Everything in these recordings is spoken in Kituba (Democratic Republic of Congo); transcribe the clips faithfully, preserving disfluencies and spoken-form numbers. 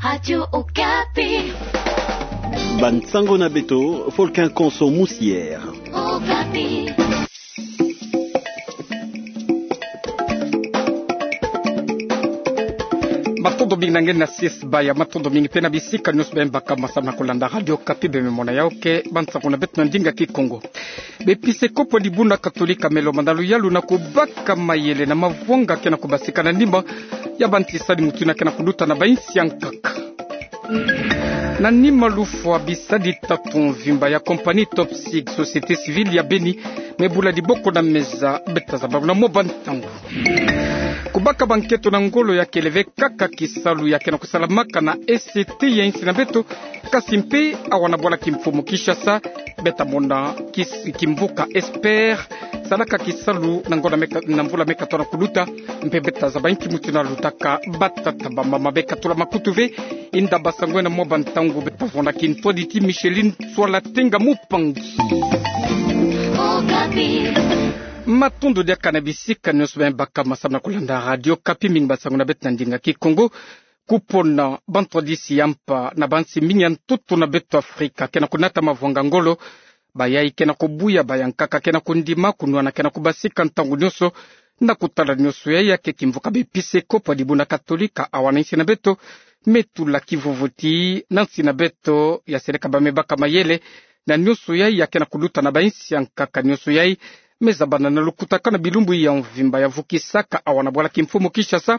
Radio Okapi. Bansango na beto, Folkin Konso Musier. Okapi. Matondo mingi na nge na sisbaya, matondo mingi pe na bisika nionso beno baka masamu na kolanda Radio Okapi, beno me mona ya oke bansango na beto na ndinga Kikongo. B'episekopo ya dibundu katolika me lomba na luyalu na kubaka mayele na mavwanga ke na kubasika na nima ya bantisani mutindu ke na kuluta na bainsi ya nkaka. Na nima lufwa bisadi tatu mvimba ya compagnie Top Sig, société civile ya beni, me bula diboko na meza, beta zabalo na mwa bantangu. Kubaka banketo na ngolo ya kele ve kaka kisalu ya ke na kusalamaka na E C T ya insi na beto, kasi mpe awa na bwala kimfumu Kinshasa, beta mona kis-, kimvuka Esper salaka kisalu na ngolo me ka-, na mvula me katola kuluta, mpe beta zaba inki mutindu lutaka batata bamama. Beka tula makutu ve, inda basango ena mwa bantangu, beta vwanda kintwadi ti Micheline Swala Tenga Mupangi. Matondo diaka na bisika nionso beno baka masamu na kolanda Radio Okapi, mingi basango na beto na ndinga Kikongo. Kupona bantwadisi ya mpa na bansi mingi ya ntoto na beto Afrika ke na kunata mavwanga ngolo. Bayai ke na kubuya, bayankaka ke na kundima, kunwana ke na kubasika ntangu nionso. Na kutala nionso yai, ya ke kimvuka b'episekopo ya dibundu katolika awa na insi na beto me tula kivuvuti na nsi na beto, ya seleka bam'e baka mayele na nionso yai ya ke na kuluta na bainsi ya nkaka. Nionso yai me zabana na lukutakanu na bilumbu ya mvimba ya vukisaka awa na bwala kimfumu Kinshasa,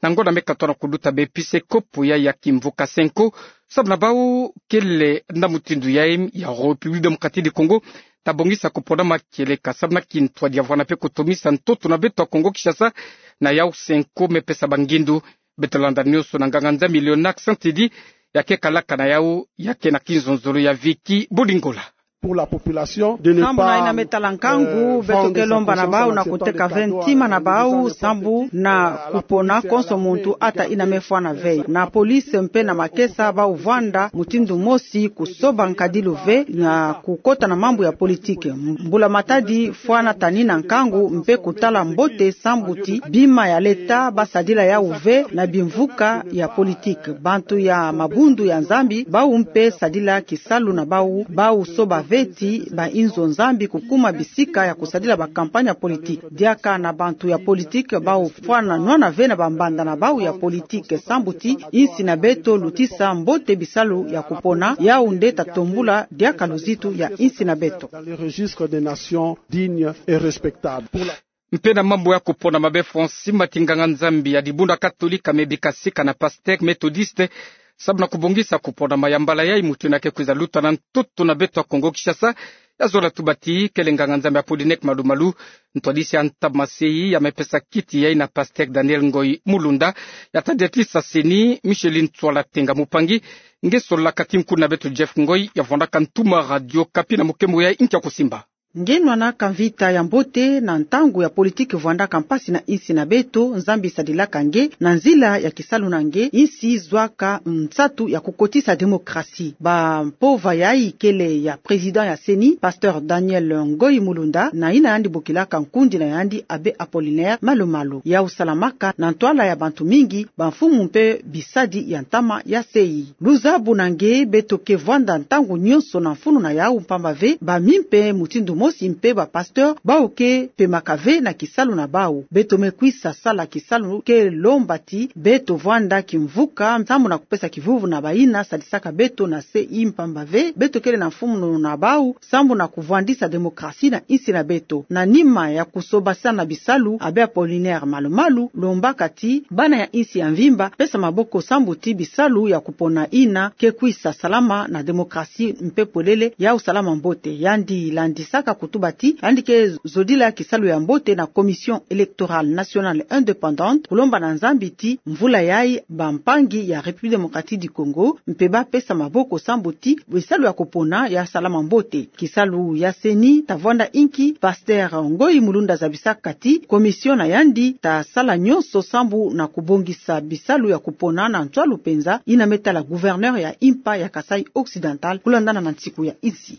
na ngolo me katola kuluta b'episekopo yai ya kimvuka Cenco, samu na bau kele na mutindu yai ya République Démocratique du Congo, ta bongisa kupona makieleka samu na kintwadi ya vwanda mpe kutomisa ntoto na beto ya Kongo Kinshasa. Na yau Cenco me pesa bangindu. Beta landa nionso na nganga-Nzambi Léonard Santidi, ya ke kalaka na yau, ya ke na kinzonzolo ya Vicky Bolingola. Pour la population, de ne pas, sambu na ina me tala nkangu, euh, beto ke lomba na bau na kuteka ve ntima na bau, sambu na kupona konso muntu ata ina me fwana ve. Na police mpe na makesa bau vwanda mutindu mosi kusoba nkadilu ve na kukota na mambu ya politique. Mbula-matadi fwana tani na nkangu mpe kutala mbote sambu ti bima ya leta basadila yau ve na bimvuka ya politique. Bantu ya mabundu ya Nzambi bau mpe sadila kisalu na bau, bau soba ve ti bainzo Nzambi kukuma bisika ya kusadila ba campagne ya politique. Diaka na bantu ya politique bau fwana nwana ve na bambanda na bau ya politique sambu ti insi na beto lutisa mbote bisalu ya kupona, yau nde ta tombula diaka luzitu ya insi na beto. Dans le registre des nations dignes et respectables. Pour la Mpe na mambu ya kupona mabe, Francis Mati, nganga-Nzambi ya dibundu katolika me bika sika na pasteur methodiste, samu na kubongisa kupona ma ya mbala yai mutindu ke kwiza luta na ntoto na beto ya Kongo Kinshasa. Ya zola tuba ti kele nganga-Nzambi Apollinaire Malu-Malu, ntwadisi ya ntama sei, ya me pesa kiti yai na pasteur Daniel Ngoy Mulunda, ya tadiatisa seni Micheline Tswala Tenga Mupangi. Nge solaka ti nkuna beto Jeff Ngoy, ya vwandaka ntuma Radio Okapi na mukembo yai, nkia kusimba. Nge nwanaka mvita ya mbote na ntangu ya politique vwandaka mpasi na insi na beto, Nzambi sadilaka nge na nzila ya kisalu na nge, insi zwaka nsatu ya kukotisa démocratie. Bampova yai kele ya président ya seni, pasteur Daniel Ngoy Mulunda, na ina yandi bokilaka nkundi na yandi abbé Apollinaire Malu-Malu. Yau salamaka na ntwala ya bantu mingi, bamfumu mpe bisadi ya ntama ya sei. Luzabu na nge, beto ke vwanda ntangu nionso na mfunu na yau, mpamba ve bamimi mpe mutindu mosi mpe bapasteur bau ke pemaka ve na kisalu na bau. Beto me kwisa sala kisalu ke lomba ti beto vwanda kimvuka, samu na kupesa kivuvu na baina sadisaka beto na sei, mpamba ve beto kele na mfunu na bau, samu na kuvwandisa démocratie na insi na beto. Na nima ya kusobasana bisalu, abbé Apollinaire Malu-Malu lombaka ti bana ya insi ya mvimba pesa maboko sambu ti bisalu ya kupona ina ke kwisa salama na démocratie mpe polele yau salama mbote. Yandi landisaka kutuba ti yandi ke zodila kisalu ya mbote na Commission électorale nationale indépendante, kulomba na Nzambi ti mvula yai bampangi ya République Démocratique du Congo mpe bapesa maboko sambu ti bisalu ya kupona ya salama mbote. Kisalu ya seni ta vwanda inki? Pasteur Ngoy Mulunda zabisaka ti commission na yandi ta sala nionso sambu na kubongisa bisalu ya kupona na ntwalu penza, ina me tala gouverneur ya impa ya Kasaï Occidental, kulandana na nsiku ya insi.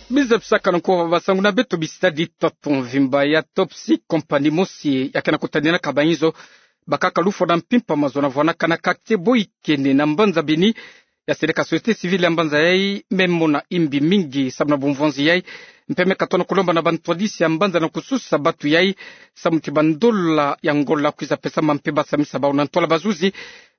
Biza bisaka na nkoba basangu na beto, bisadi tatu mvimba ya Top Sig, compagnie mosi ya ke na kutaninaka bainzo bakaka lufwa na mpimpa mazono vwanaka na quartier Boikene na mbanza Beni. Ya seleka société civile ya mbanza yai me mona imbi mingi samu na bumvwanzi yai, mpe me katona kulomba na bantwadisi ya mbanza na kususa batu yai samu ti bandola ya Angola kwiza pesa mpe basamisa bau na ntwala bazuzi.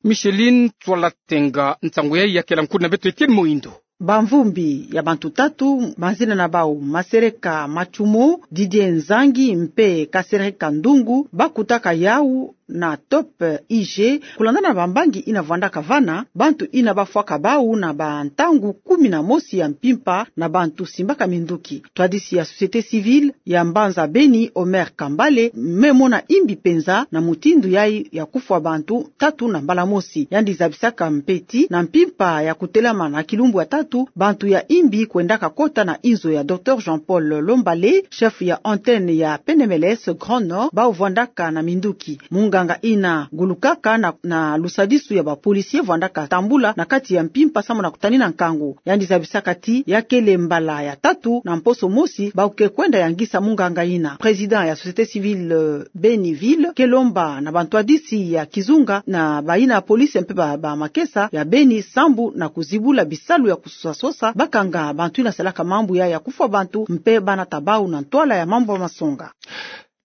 Micheline Tswala Tenga, nsangu yai ya kela nkuna beto Etienne Moindo. Bamvumbi ya bantu tatu, mazina na bau Masereka Matsumo, Didier Nzangi mpe Kasereka Ndungu, bakutaka yau na Top I G, kulandana na bambangi ina vwandaka vana, bantu ina bafwaka bau na bantangu kumi na mosi ya mpimpa na bantu simbaka minduki. Twadisi ya société civile ya mbanza Beni, Omer Kambale, me mona imbi penza na mutindu yai ya kufwa bantu tatu na mbala mosi. Yandi zabisaka mpe ti na mpimpa ya kutelama na kilumbu ya tatu, bantu ya imbi kwendaka kota na inzo ya Docteur Jean-Paul Lombale, chef ya antenne ya P N M L S Grand Nord, bau vwandaka na minduki. Munganga ina gulukaka na, na lusadisu ya ba policiers vwandaka tambula na kati ya mpimpa samu na kutanina nkangu. Yandi zabisaka ti ya kele mbala ya tatu na mposo mosi bau ke kwenda yangisa munganga ina. Président ya société civile, euh, Beni Ville ke lomba na bantwadisi ya kizunga na baina polisi mpe ba, ba makesa ya Beni sambu na kuzibula bisalu ya kusosa-sosa, bakanga bantu ina salaka mambu ya, ya kufwa bantu mpe banata bau na ntwala ya mambu ya masonga.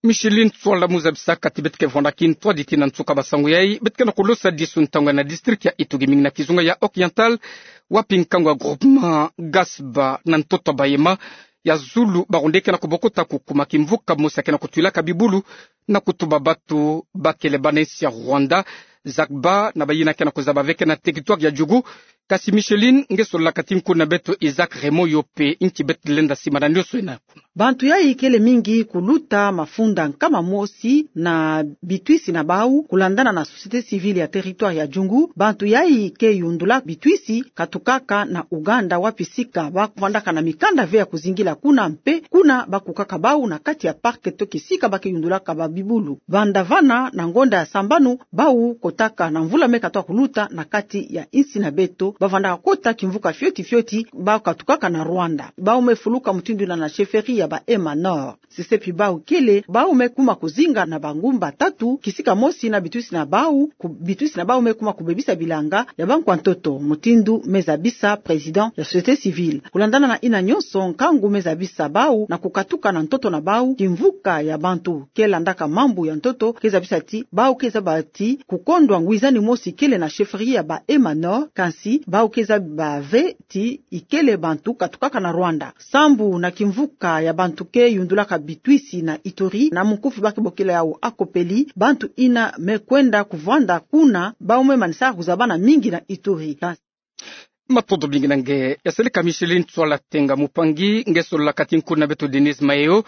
Micheline Tswala, mu zabisaka ti beto ke vwanda kintwadi tii na nsuka ba sangu yai, beto ke na kulosa disu ntangu yai na district ya Ituri, mingi na kizunga ya Oriental, wapi nkangu ya groupement Gasba na ntoto Bayema ya zulu baronde ke na kubokota kukuma kimvuka mosi ya ke na kutwilaka bibulu na kutuba batu ba kele bana nsi ya Rwanda. Zagba na bayina ke na kuzaba ve ke na territoire ya Djugu. Kasi Micheline, nge sololaka ti nkuna beto Isaac Raymond, yo mpe nki beto lenda simana nioso ina kuna. Bantu yai kele mingi kuluta mafunda nkama mosi na bitwisi na bau, kulandana na société civile ya territoire ya Djungu. Bantu yai ke yundula bitwisi katukaka na Ouganda, wapi sika ba vwandaka na mikanda ve ya kuzingila kuna, mpe kuna ba kukaka bau na kati ya parc to kisika ba ke yundulaka ba bibulu. Banda vana na ngonda ya sambanu, bau kotaka na mvula me katoka kuluta na kati ya insi na beto, ba vandaka kota kimvuka fioti fioti, bau katukaka na Rwanda. Bau me fuluka mutindu ina na chefferie ya ba Emma Nord. Sesepi bau kele, bau me kuma kuzinga na bangumba tatu, kisika mosi na bitwisi na bau, ku-, bitwisi na bau me kuma kubebisa bilanga ya bankwa ntoto, mutindu me zabisa président ya société civile. Kulandana na ina nionso, nkangu me zabisa bau na kukatuka na ntoto na bau, kimvuka ya bantu ke landaka mambu ya ntoto ke zabisa ti bau ke zaba ti kukondwa ngwizani mosi kele na chefferie ya ba Emma Nord, kansi bau ke zaba ve ti ikele bantu katukaka na Rwanda. Sambu na kimvuka ya bantu ke yundulaka bitwisi na Ituri, na mukufi ba ke bokila yau Akopeli, bantu ina me kwenda kuvwanda kuna, bau me manisa kuzabana mingi na Ituri. Matondo mingi na nge. Ya seleka Micheline Tswala Tenga. Mupangi, nge sololaka ti nkuna beto Denise Mayo.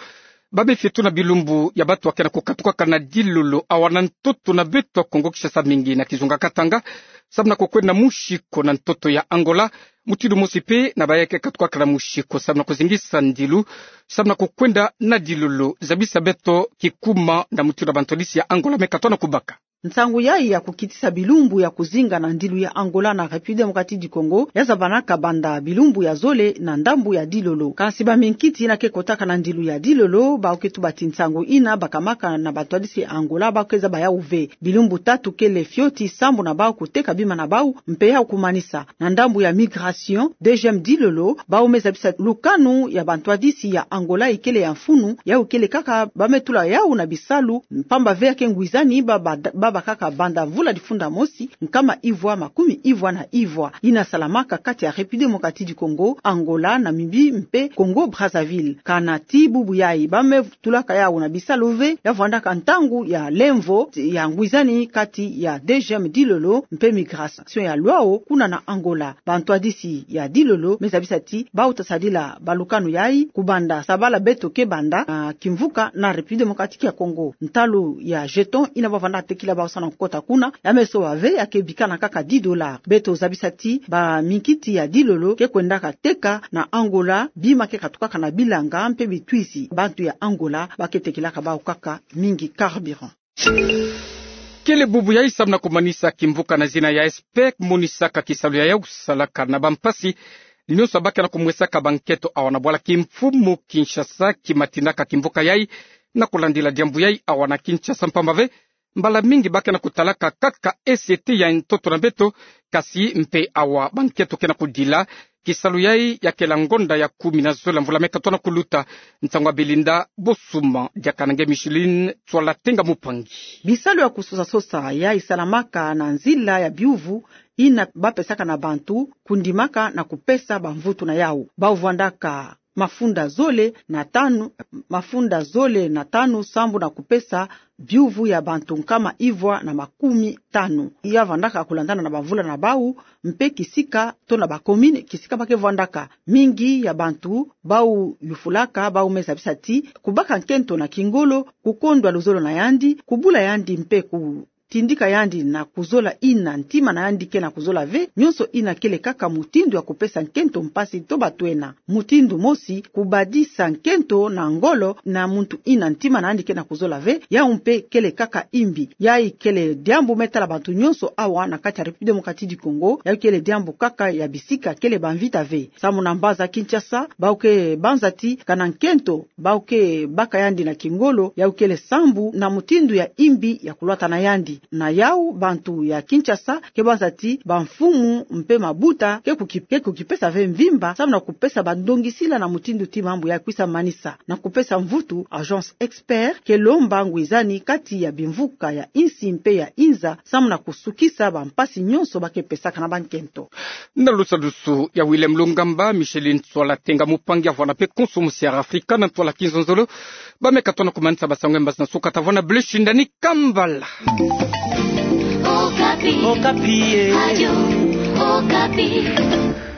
Ba me fioto na bilumbu ya batu ba ke na kukatukaka na dilolo awa na ntoto na beto ya Kongo Kinshasa, mingi na kizunga Katanga, samu na kukwenda musi ko na ntoto ya Angola. Mutindu mosi mpe na ba yai ke katukaka na musi ko samu na kuzingisa ndilu, samu na kukwenda na dilolo. Zabisa beto kikuma na mutindu bantwadisi ya Angola me katoka na kubaka. Nsangu yai ya kukitisa bilumbu ya kuzinga na ndilu ya Angola na République Démocratique du Congo ya zabanaka banda bilumbu ya zole na ndambu ya dilolo. Kansi baminkiti ina ke kotaka na ndilu ya dilolo, bau ke tuba ti nsangu ina bakamaka na bantwadisi ya Angola, bau ke zaba yau ve. Bilumbu tatu kele fioti sambu na bau kuteka bima na bau, mpe yau kumanisa. Na ndambu ya migration, D G M Dilolo, bau me zabisa lukanu ya bantwadisi ya Angola ikele ya mfunu, yau kele kaka ba me tula yau na bisalu, mpamba ve ya ke ngwizani ba, ba, babakaka banda mvula difunda mosi, nkama ivwa makumi ivwa na ivwa. Ina salamaka kati ya République Démocratique du Congo, Angola, Namibie, mpe Congo Brazzaville. Kana ti bubu yai, ba me tulaka yau na bisalu ve, ya vwandaka ntangu ya lemvo ya ngwizani kati ya D G M Dilolo mpe migration ya Luau kuna na Angola. Bantwadisi ya Dilolo me zabisa ti bau ta sadila balukanu yai kubanda sabala beto ke banda na kimvuka na République Démocratique ya Congo. Ntalu ya jeton ina ba vanda tekila bau samu na kukota kuna, ya me soba ve, ya ke bikana kaka dix dollars. Beto zabisa ti baminkiti ya Dilolo ke kwendaka teka na Angola bima ke katukaka na bilanga mpe bitwisi. Bantu ya Angola ba ke tekilaka bau kaka mingi carburant. Kele bubu yai samu na kumanisa kimvuka na zina ya SPEC, monisaka kisalu ya yau salaka na bampasi nionso ba ke na kumwesaka banketo awa na bwala kimfumu Kinshasa, ki matinaka kimvuka yai na kulandila diambu yai awa na Kinshasa, mpamba ve mbala mingi ba ke na kutalaka kaka esi ete ya ntoto na beto, kasi mpe awa ba nkento ke na kudila kisalu yai ya kela ngonda ya kumi na zole ya mvula meka tona kuluta. Nsangu ya Belinda Bosuma, diaka na nge Micheline Tswala Tenga Mupangi. Bisalu ya kusosa-sosa yai salamaka na nzila ya biuvu ina ba pesaka na bantu, kundimaka na kupesa bamvutu na yau. Bau vwandaka mafunda zole na tanu, mafunda zole na tanu sambu na kupesa biuvu ya bantu nkama ivwa na makumi tanu. Ya vwandaka kulandana na bamvula na bau, mpe kisika to na ba commune kisika ba ke vwandaka. Mingi ya bantu bau yufulaka, bau meza bisati kubaka nkento na kingolo, kukondwa luzolo na yandi, kubula yandi mpe ku tindika yandi na kuzola ina ntima na yandi ke na kuzola ve. Nyonso ina kele kaka mutindu ya kupesa nkento mpasi to batwena. Mutindu mosi, kubadisa nkento na ngolo na muntu ina ntima na yandi ke na kuzola ve, yau mpe kele kaka imbi. Yai kele diambu me tala bantu nyonso awa na kati ya République Démocratique du Congo, yau kele diambu kaka ya bisika kele bamvita ve. Samu na mbanza Kinshasa, bau ke banza ti kana nkento bau ke baka yandi na kingolo, yau kele sambu na mutindu ya imbi ya kulwata na yandi. Na yau, bantu ya Kinshasa ke banza ti bamfumu mpe mabuta ke kuki-, ke kukipesa ve mvimba, samu na kupesa bandongisila na mutindu ti mambu ya kwisa manisa. Na kupesa mvutu, Agence Expert ke lomba ngwizani kati ya bimvuka ya insi mpe ya inza, samu na kusukisa bampasi nyonso ba ke pesaka na bankento. Na lusadusu ya Willem Lungamba, Micheline Tswala Tenga Mupangi avwanda mpe konso musi ya Afrika na ntwala kinzonzolo. Ba meka tona kumanisa basango ya mbazi na suka, tavwanda bleu shindani kambala. Okapi. Okapi, eh. Radio Okapi.